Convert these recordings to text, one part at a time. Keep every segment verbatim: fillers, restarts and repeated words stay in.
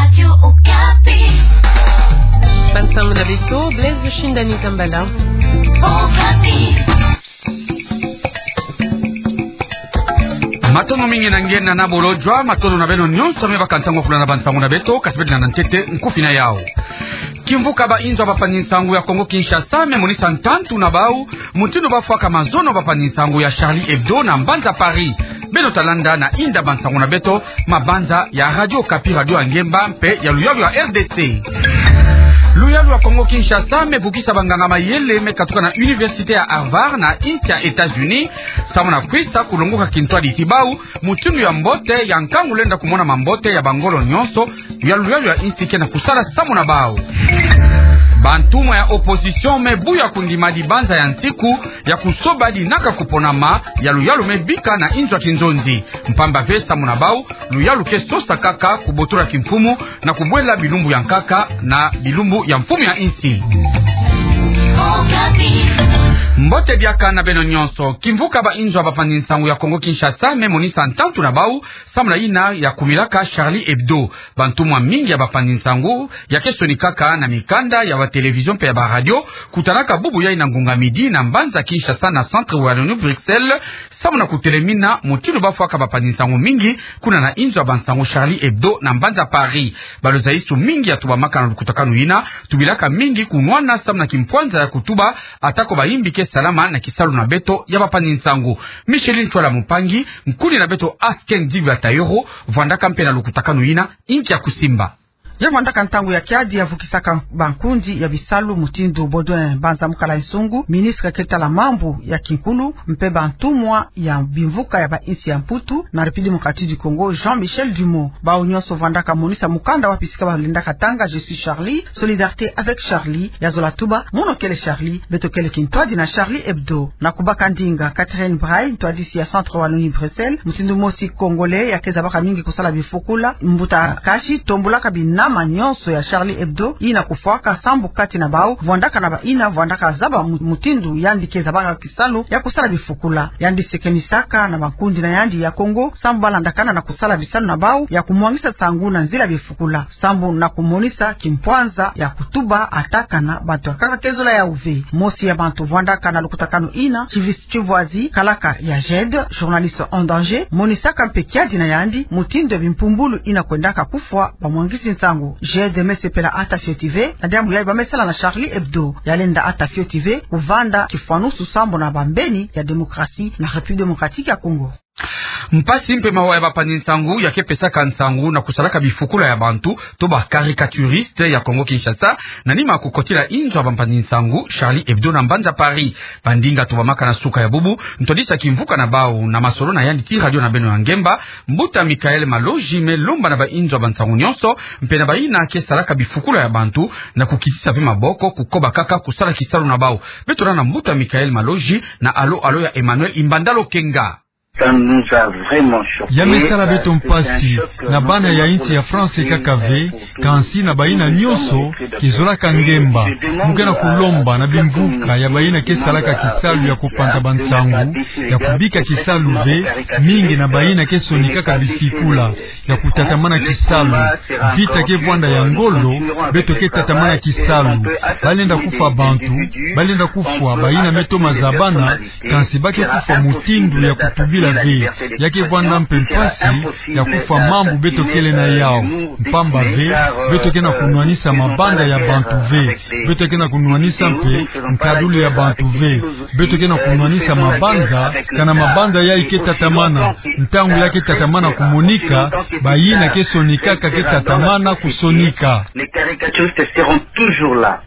Radio Okapi. Bansango na beto, Blaise Shindani Kambala. Okapi. Matondo mingi na nge na nabo lojwa, matondo na beno nyonso me baka ntangu ya kulanda bansango na beto, kasi beto landa ntete nkufi na yau. Kimvuka ba inzo ya bampangi-nsangu ya Kongo-Kinshasa me monisa ntantu na bau mutindu bafwaka mazono ya bampangi-nsangu ya Charlie Hebdo na mbanza Paris. Beno ta landa na inda bansango na beto, mabanza ya Radio Okapi, radio ya ngemba mpe ya luyalu ya R D C. Luyalu ya Kongo-Kinshasa me bukisa banganga-mayele me katuka na Université ya Harvard na insi ya États-Unis, samu na kwisa kulongoka kintwadi ti bau mutindu ya mbote ya nkangu lenda kumona mambote ya bangolo nyonso ya luyalu ya insi ke na kusala samu na bau. Bantumwa ya opposition me buya kundima dibanza ya nsiku ya kusoba dinaka kuponama ya luyalu me bika na inzo ya kinzonzi. Mpamba ve samu na bau, luyalu ke sosa kaka kubotola kimfumu na kubwela bilumbu ya nkaka na bilumbu ya mfumu ya insi. Mbote diaka na beno nyonso. Kimvuka ba inzo ya bampangi-nsangu ya Kongo-Kinshasa me monisa ntantu na bau samu na yina ya kumilaka Charlie Hebdo. Bantumwa mingi ya bampangi-nsangu ya ke sonikaka na mikanda ya ba télévision mpe ya ba radio, kutanaka bubu yai na ngunga midi na mbanza Kinshasa na Centre Wallonie Bruxelles, samu na kutelemina mutindu bafwaka bampangi-nsangu mingi kuna na inzo ya bansangu Charlie Hebdo na mbanza Paris. Balo zaisu mingi ya tubamaka na lukutakanu yina, tubilaka mingi kunwana samu na kimpwanza ya kutuba, atako bayimbi ke salama na kisalu na beto ya bampangi-nsangu. Micheline Ntsoila Mumpangi, nkundi na beto Asken Dibla Tayoro, vwandaka mpe na lukutakanu yina, inki ya kusimba. Ya vwandaka ntangu ya kiadi ya vukisaka bankundi ya bisalu mutindu Baudouin Mbanza Mukala Nsungu, ministre ke tala mambu ya kinkulu, mpe bantumwa ya bimvuka ya ba insi ya Mputu na République Démocratique du Congo, Jean-Michel Dumont. Bau nyonso vwandaka monisa mukanda wapi sika balendaka tanga Je suis Charlie, Solidarité avec Charlie, ya zola tuba, mono kele Charlie, beto kele kintwadi na Charlie Hebdo. Na kubaka ndinga, Catherine Bray, ntwadisi ya Centre Wallonie Bruxelles, mutindu mosi Congolais ya ke zabaka mingi kusala bifukula, mbuta Kashi, tombolaka binama nyonso ya Charlie Hebdo yina kufwaka, sambu kati na bau vwandaka na bayina vwandaka zaba mu-, mutindu yandi ke zabaka kisalu ya kusala bifukula. Yandi sekenisaka na bankundi na yandi ya Congo, sambu balandakana na kusala bisalu na bau ya kumwangisa nsangu na nzila bifukula, sambu na kumonisa kimpwanza ya kutuba, atakana bantu ya nkaka ke zola yau ve. Mosi ya bantu vwandaka na lukutakanu yina, Chivis Chivwazi, kalaka ya GED, journaliste en danger, monisaka mpe kiadi na yandi mutindu ya bimpumbulu yina kwendaka kufwa bamwangisi nsangu. GED me sepela ata fioti ve na diambu yai ba me sala na Charlie Hebdo. Ya lenda ata fioti ve kuvanda kifwanusu sambu na bambeni ya démocratie na République Démocratique ya Congo. Mpasi mpe mawa ya bampangi-nsangu ya ke pesaka nsangu na kusalaka bifukula ya bantu, to ba caricaturiste ya Congo-Kinshasa, na nima kukotila inzo ya bampangi-nsangu Charlie Hebdo na mbanza Paris. Bandinga tubamaka na suka ya bubu, ntwadisi ya kimvuka na bau na masolo na yandi ti radio na beno ya ngemba, mbuta Michael Maloji me lomba na ba inzo ya bansangu nyonso, mpe na bayina ke salaka bifukula ya bantu, na kukitisa ve maboko, kukoba kaka kusala kisalu na bau. Beto landa mbuta Michael Maloji na alo alo ya Emmanuel Imbanda Lokenga. Ça nous a vraiment choqués. Ya me sala beto mpasi, na bana ya insi ya France kaka ve, kansi na bayina nyonso ke zolaka ngemba. Mu ke na kulomba na bimvuka ya bayina ke salaka kisalu ya kupanza bansangu, ya kubika kisalu ve, mingi na bayina ke sonikaka bifukula ya kutatamana kisalu. Vita ke vwanda ya ngolo, beto ke tatamana kisalu. Balenda kufwa bantu, balenda kufwa bayina me toma zabana, kansi ba ke kufwa mutindu ya kutubila ve. Ya ke vwanda mpe mpasi ya kufwa mambu beto kele na yau. Mpamba ve, beto ke na kunwanisa mabanza ya bantu ve. Beto ke na kunwanisa mpe nkadulu ya bantu ve. Beto ke na kunwanisa mabanza, kana mabanza yai ke tatamana. Ntangu ya ke tatamana kumonika, bayina ke sonikaka ke tatamana kusonika. Les caricaturistes seront toujours là.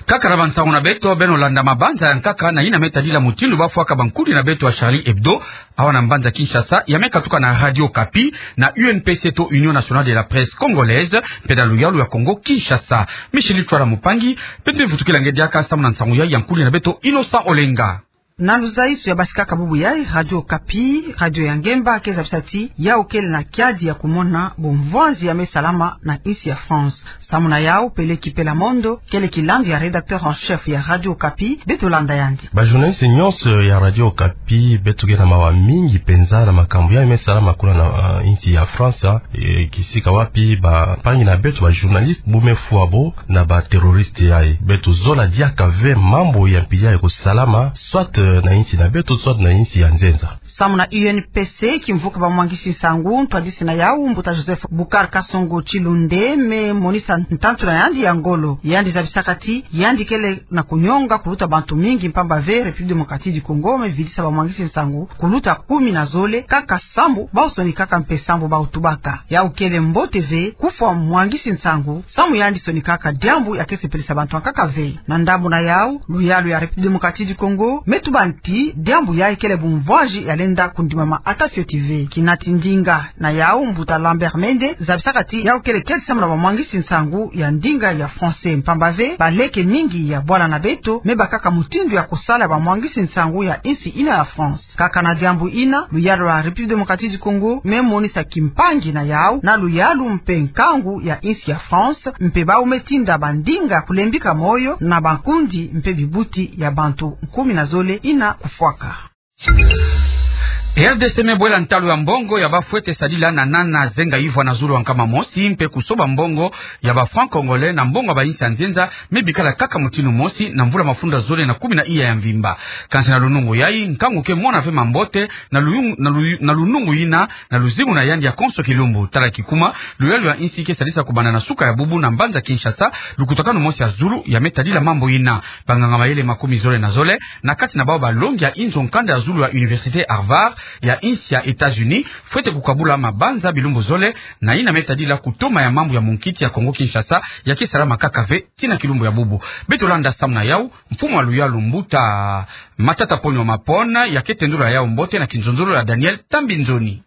Kaka na bansangu na beto, beno landa mabanza ya nkaka na yina me tadila mutindu bafwaka bankudi na beto ya Charlie Hebdo, awa na mbanza Kinshasa, ya me katuka na Radio Okapi, na U N P C to Union Nationale de la Presse Congolaise, mpe na luyalu ya Congo-Kinshasa. Michel Itwala Mupangi, beto me vutukila nge diaka samu na nsangu yai ya nkudi na beto Innocent Olenga. Na luzaiso ya basikaka bubu yayi, Radio Okapi, radio ya ngemba, ke zabisa ti yau kele na kiadi ya kumona bumvwanzi ya me salama na insi ya France. Samu na yau, Peleki Pela Mondo, kele kilandu ya rédacteur en chef ya Radio Okapi, beto landa yandi. Ba journaliste nyonso ya Radio Okapi, beto ke na mawa mingi penza na makambu ya me salama kuna na, ah, insi ya France, ah, e, kisika wapi bampangi na beto ba journaliste bu me fwa bo na ba terroriste yayi. Beto zola diaka ve mambu ya mpila ya kusalama, soit, eh, na insi na beto, soit na insi ya nzenza. Samu na U N P C, kimvuka bamwangisi nsangu, ntwadisi na yau, mbuta Joseph Boucar Kasongo Tshilunde, me monisa ntantu na yandi ya ngolo. Yandi zabisaka ti yandi kele na kunyonga kuluta bantu mingi, mpamba ve République Démocratique du Congo me vidisa bamwangisi nsangu kuluta kumi na zole, kaka sambu bau sonikaka mpe sambu bau tubaka. Yau kele mbote ve kufwa mwangisi nsangu, samu yandi sonikaka diambu ya ke sepelisa bantu ankaka ve. Na ndambu na yau, luyalu ya République Démocratique du Congo me tuba ti diambu yayi kele bumvwanzi ya lenda kundimama ata fioti ve. Kinati ndinga na yau, mbuta Lambert Mende zabisaka ti yau kele kiadi samu na bamwangisi nsangu ya ndinga ya français, mpamba ve baleke mingi ya bwala na beto me bakaka mutindu ya kusala bamwangisi nsangu ya insi ina ya France. Kaka na diambu ina, luyalu ya République Démocratique du Congo me monisa kimpangi na yau na luyalu mpe nkangu ya insi ya France, mpe bau me tinda bandinga kulembika moyo na bankundi mpe bibuti ya bantu kumi na zole ina kufwaka. R D C me bwela ntalu ya mbongo ya bafwete sadila na nana zenga ivwa na zulu ya nkama mosi, mpe kusoba mbongo ya ba francs congolais na mbongo ya ba insi ya nzenza me bikala kaka mutindu mosi na mvula mafunda zole na kumi na iya ya mvimba. Kansi na lunungu yayi, nkangu ke mona ve mambote na luyung-, na luyu-, na lunungu ina, na luzingu na yandi ya konso kilumbu. Tala kikuma, luyalu ya insi ke sadisa kubanda na suka ya bubu na mbanza Kinshasa lukutakanu mosi ya zulu ya me tadila mambu ina. Banganga mayele makumi zole na zole, na kati na bau balongi ya inzo nkanda ya zulu ya Université Harvard ya insi ya États-Unis, fwete kukabula mabanza bilumbu zole na ina me tadila kutoma ya mambu ya munkiti ya Kongo Kinshasa, ya ke salama kaka ve tii na kilumbu ya bubu. Beto landa samu na yau, mfumu wa luyalu mbuta Matata Ponyo Mapon, ya ke tendula yau mbote na kinzonzolo ya Daniel Tambinzoni.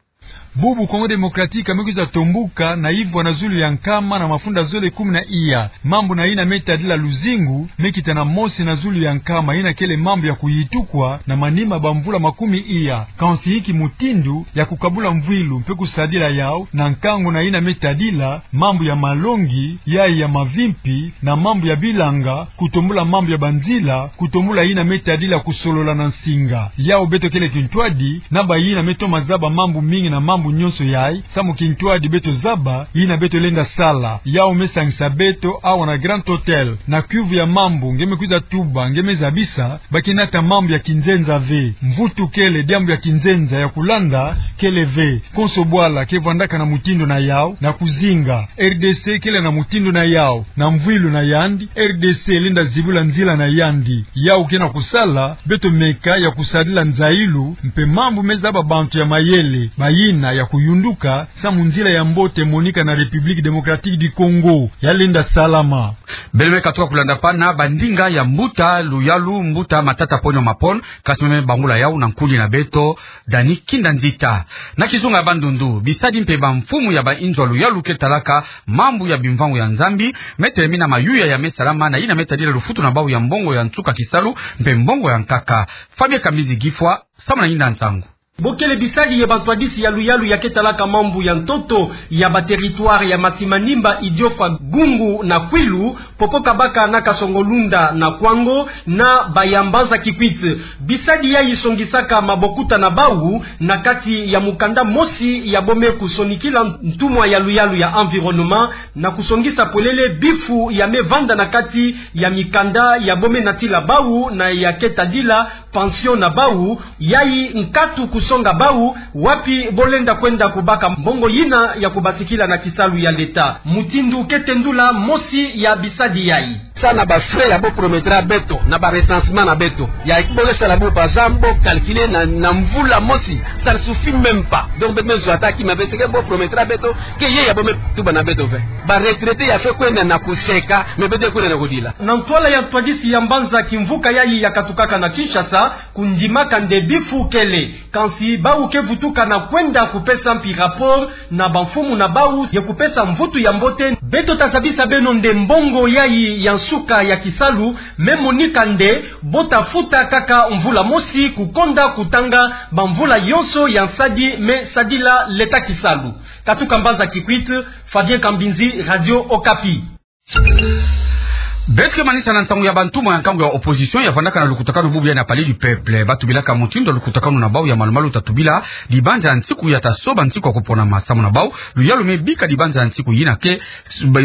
Bubu Congo Démocratique me kwiza tombuka na ivwa na zulu ya nkama na mafunda zole kumi na iya. Mambu na ina me tadila luzingu me kita na mosi na zulu ya nkama, ina kele mambu ya kuyitukwa na manima bamvula makumi iya. Kansi inki mutindu ya kukabula mvwilu mpe kusadila yau na nkangu na ina me tadila mambu ya malongi, yayi ya mavimpi, na mambu ya bilanga, kutombula mambu ya banzila, kutombula ina me tadila kusolola na nsinga. Yau beto kele kintwadi na bayina me toma zaba mambu mingi na mambu nyonso yayi, samu kintwadi beto zaba ina beto lenda sala. Yau me sangisa beto awa na Grand Hôtel, na kiuvu ya mambu nge me kwiza tuba, nge me zabisa, ba ke nata mambu ya kinzenza ve. Mvutu kele, diambu ya kinzenza ya kulanda kele ve. Konso bwala ke vwandaka na mutindu na yau na kuzinga. R D C kele na mutindu na yau, na mvwilu na yandi, R D C lenda zibula nzila na yandi. Yau ke na kusala, beto meka ya kusadila nzayilu, mpe mambu me zaba bantu ya mayele, bayina ya kuyunduka, samu nzila ya mbote monika na République Démocratique du Congo, ya lenda salama. Beno me katuka kulanda mpe na bandinga ya mbuta luyalu, mbuta Matata Ponyo Mapon, kansi me bangula yau na nkundi na beto, Dani Kinda Nzita. Na kizunga ya Bandundu, bisadi mpe bamfumu ya bainzo ya luyalu ke talaka mambu ya bimvangu ya Nzambi, me telemina mayuya ya me salama na ina me tadila lufutu na bau ya mbongo ya nsuka kisalu, mpe mbongo ya nkaka. Fabien Kamizi Gifwa, samu na yinda nsangu. Bo kele bisadi ye bantwadisi ya luyalu ya ke talaka mambu ya ntoto ya ba territoire ya Masimanimba, Idiofa, Gungu na Kwilu, Popo Kabaka na Kasongo-Lunda na Kwango, na ba ya Mbanza Kikwit. Bisadi yayi songisaka mabokuta na bau na kati ya mukanda mosi ya bo me kusonikila ntumwa ya luyalu ya environnement, na kusongisa polele bifu ya me vanda na kati ya mikanda ya bo me natila bau na ya ke tadila pension na bau, yayi nkatu kusonga bau wapi bo lenda kwenda kubaka mbongo yina ya kubasikila na kisalu ya leta. Mutindu ke tendula mosi ya bisadi yayi. Sa na ba frais ya bo promettra beto, na ba recensement na beto. Ya bo ke sala bo, par exemple, bo calculer na, na mvula mosi, ça ne suffit même pas. Donc, beto me zwa ata kima ve, ce que bo promettra beto, ke ye ya bo me tuba na beto ve. Ba retraités ya fwe kwenda na kuseka, mais beto kwenda na kudila. Na ntwala ya ntwadisi ya mbanza kimvuka yayi ya katukaka na Kinshasa, kundimaka nde bifu kele. Kansi bau ke vutuka na kwenda kupesa mpi rapport na bamfumu na bau ye kupesa mvutu ya mbote. Beto ta zabisa beno nde mbongo yayi ya Suka ya kisalu me monika nde, bo ta futa kaka mvula mosi kukonda kutanga bamvula yonso ya nsadi me sadila leta kisalu. Katuka mbanza Kikwit, Fabien Kambinzi, Radio Okapi. Beto ke manisa na nsangu ya bantumwa ya nkangu ya opposition ya vandaka na lukutakanu bubu ya na Palais du Peuple. Ba tubilaka mutindu ya lukutakanu na bau ya malumalu ta tubila dibanza ya nsiku ya ta soba nsiku ya kuponama. Samu na bau, luyalu me bika dibanza ya nsiku yina ke,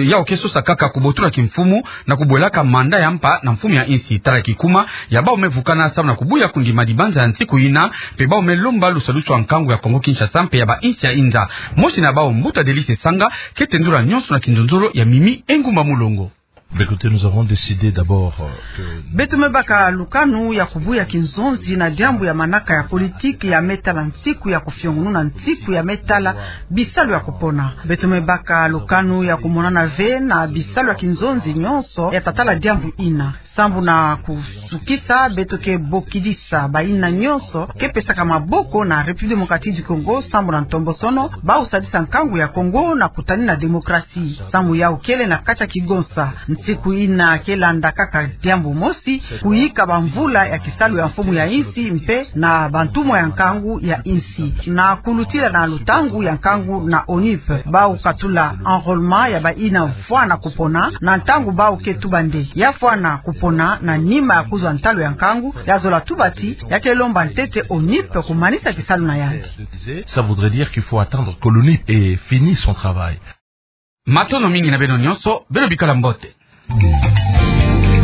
yau ke sosa kaka kubotula kimfumu na kubwelaka mandat ya mpa na mfumu ya insi. Tala kikuma ya bau me vukana samu na kubuya kundima dibanza ya nsiku yina, mpe bau me lomba lusadusu ya nkangu ya Kongo Kinshasa mpe ya ba insi ya inza. Mosi na bau, mbuta Delice Sanga, ke tendula nyonso na kinzonzolo ya Mimi Engumba Mulongo. Bah, écoutez, nous avons décidé d'abord, euh, que... Beto me baka lukanu ya kubuya kinzonzi na diambu ya manaka ya politiki ya me tala nsiku ya kufiongununa nsiku ya me tala bisalu ya kupona. Beto me baka lukanu ya kumonana ve na bisalu ya kinzonzi nyonso ya ta tala diambu ina. Sambu na kusukisa, beto ke bokidisa bayina nyonso ke pesaka maboko na République Démocratique du Congo sambu na ntombosono, bau sadisa nkangu ya Kongo na kutanina démocratie. Samu yau kele na kati ya kigonsa. Nsiku ina ke landa kaka diambu mosi, kuyika bamvula ya kisalu ya mfumu ya insi mpe na bantumwa ya nkangu ya insi, na kulutila na lutangu ya nkangu na ONIP. Bau katula enrôlement ya bayina vwa na kupona, na ntangu bau ke tuba nde ya vwa na kupona na nima ya kuzwa ntalu ya nkangu, ya zola tuba ti ya ke lomba ntete ONIP kumanisa kisalu na yandi. Ça voudrait dire qu'il faut attendre que l'ONIP ait fini son travail. Matondo mingi na beno nyonso, beno bikala mbote.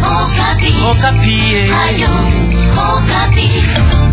Okapi. Okapi, eh. Radio Okapi.